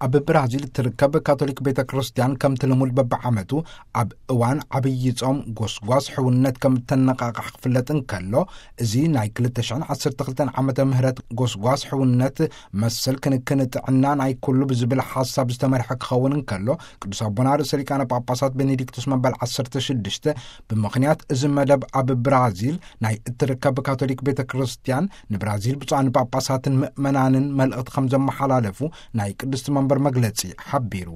ኣብ ብራዚል እትርከብ ካቶሊክ ቤተ ክርስቲያን ከምቲ ልሙድ በብዓመቱ ኣብ እዋን ዓብዪ ጾም ጎስጓስ ሕውነት ከም እተነቓቕሕ ክፍለጥ እንከሎ፣ እዚ ናይ ክልተ ሽሕን ዓሰርተ ክልተን ዓመተ ምህረት ጎስጓስ ሕውነት መሰል ክንክን ጥዕና ናይ ኩሉ ብዝብል ሓሳብ ዝተመርሐ ክኸውን እንከሎ፣ ቅዱስ ኣቦና ርእሰ ሊቃነ ጳጳሳት ቤኔዲክቱስ መበል ዓሰርተ ሽዱሽተ ብምኽንያት እዚ መደብ ኣብ ብራዚል ናይ እትርከብ ካቶሊክ ቤተ ክርስቲያን ንብራዚል ብፁዓን ጳጳሳትን ምእመናንን መልእኽቲ ከም ዘመሓላለፉ ናይ ቅድስቲ መንበር መግለጺ ሓቢሩ።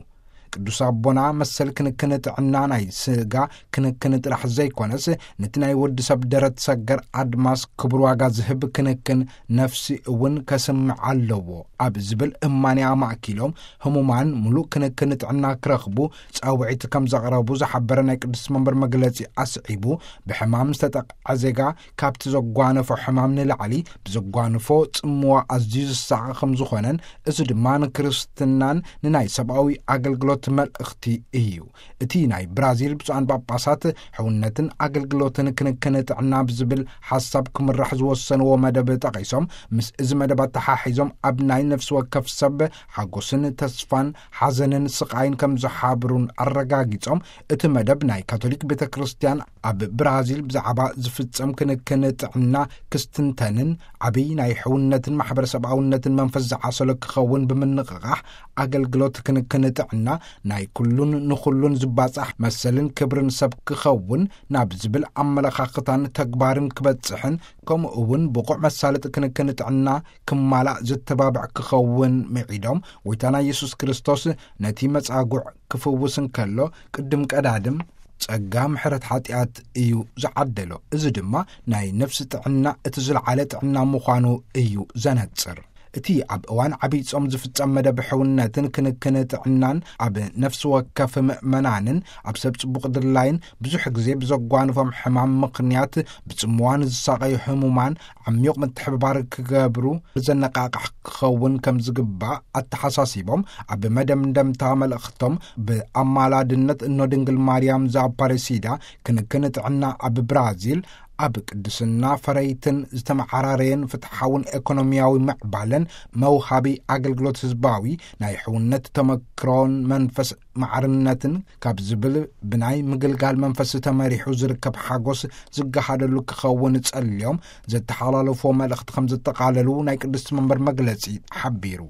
ቅዱስ ኣቦና መሰል ክንክን ጥዕና ናይ ስጋ ክንክን ጥራሕ ዘይኮነስ፣ ነቲ ናይ ወዲ ሰብ ደረት ሰገር ኣድማስ ክቡር ዋጋ ዝህብ ክንክን ነፍሲ እውን ከስምዕ ኣለዎ ኣብ ዝብል እማንያ ኣማእኪሎም፣ ህሙማን ምሉእ ክንክን ጥዕና ክረኽቡ ጻውዒት ከም ዘቕረቡ ዝሓበረ ናይ ቅድስቲ መንበር መግለጺ ኣስዒቡ፣ ብሕማም ዝተጠቕዐ ዜጋ ካብቲ ዘጓነፎ ሕማም ንላዕሊ ብዘጓንፎ ጽምዋ ኣዝዩ ዝሳቐ ከም ዝኾነን፣ እዚ ድማ ንክርስትናን ንናይ ሰብኣዊ ኣገልግሎት መልእኽቲ እዩ። እቲ ናይ ብራዚል ብፁዓን ጳጳሳት ሕውነትን ኣገልግሎትን ክንክን ጥዕና ብዝብል ሓሳብ ክምራሕ ዝወሰንዎ መደብ ጠቒሶም፣ ምስ እዚ መደብ ኣተሓሒዞም ኣብ ናይ ነፍሲ ወከፍ ሰብ ሓጎስን ተስፋን ሓዘንን ስቓይን ከም ዝሓብሩን ኣረጋጊጾም፣ እቲ መደብ ናይ ካቶሊክ ቤተ ክርስቲያን ኣብ ብራዚል ብዛዕባ ዝፍጸም ክንክን ጥዕና ክስትንተንን ዓብይ ናይ ሕውነትን ማሕበረሰብኣውነትን መንፈስ ዝዓሰሎ ክኸውን ብምንቕቓሕ፣ ኣገልግሎት ክንክን ጥዕና ናይ ኩሉን ንኹሉን ዝባጻሕ መሰልን ክብርን ሰብ ክኸውን ናብ ዝብል ኣመለኻኽታን ተግባርን ክበጽሕን፣ ከምኡ እውን ብቑዕ መሳለጢ ክንክን ጥዕና ክማላእ ዘተባብዕ ክኸውን ምዒዶም፣ ጎይታና ኢየሱስ ክርስቶስ ነቲ መጻጉዕ ክፍውስ እንከሎ ቅድም ቀዳድም ጸጋ ምሕረት ሓጢኣት እዩ ዝዓደሎ። እዚ ድማ ናይ ነፍሲ ጥዕና እቲ ዝለዓለ ጥዕና ምዃኑ እዩ ዘነጽር። እቲ ኣብ እዋን ዓብይ ጾም ዝፍጸም መደብ ሕውነትን ክንክን ጥዕናን ኣብ ነፍሲ ወከፍ ምእመናንን ኣብ ሰብ ጽቡቕ ድላይን ብዙሕ ግዜ ብዘጓንፎም ሕማም ምኽንያት ብጽምዋ ንዝሳቐዩ ህሙማን ዓሚቕ ምትሕብባር ክገብሩ ዘነቓቕሕ ክኸውን ከም ዝግባእ ኣተሓሳሲቦም፣ ኣብ መደምደምታ መልእኽቶም ብኣማላድነት እኖ ድንግል ማርያም ዘኣፓረሲዳ ክንክን ጥዕና ኣብ ብራዚል ኣብ ቅድስና ፈረይትን ዝተመዓራረየን ፍትሓውን ኤኮኖሚያዊ ምዕባለን መውሃቢ ኣገልግሎት ህዝባዊ ናይ ሕውነት ተመክሮን መንፈስ ማዕርነትን ካብ ዝብል ብናይ ምግልጋል መንፈስ ተመሪሑ ዝርከብ ሓጎስ ዝገሃደሉ ክኸውን ጸልዮም ዘተሓላለፎ መልእኽቲ ከም ዘጠቓለሉ ናይ ቅድስቲ መንበር መግለጺ ሓቢሩ።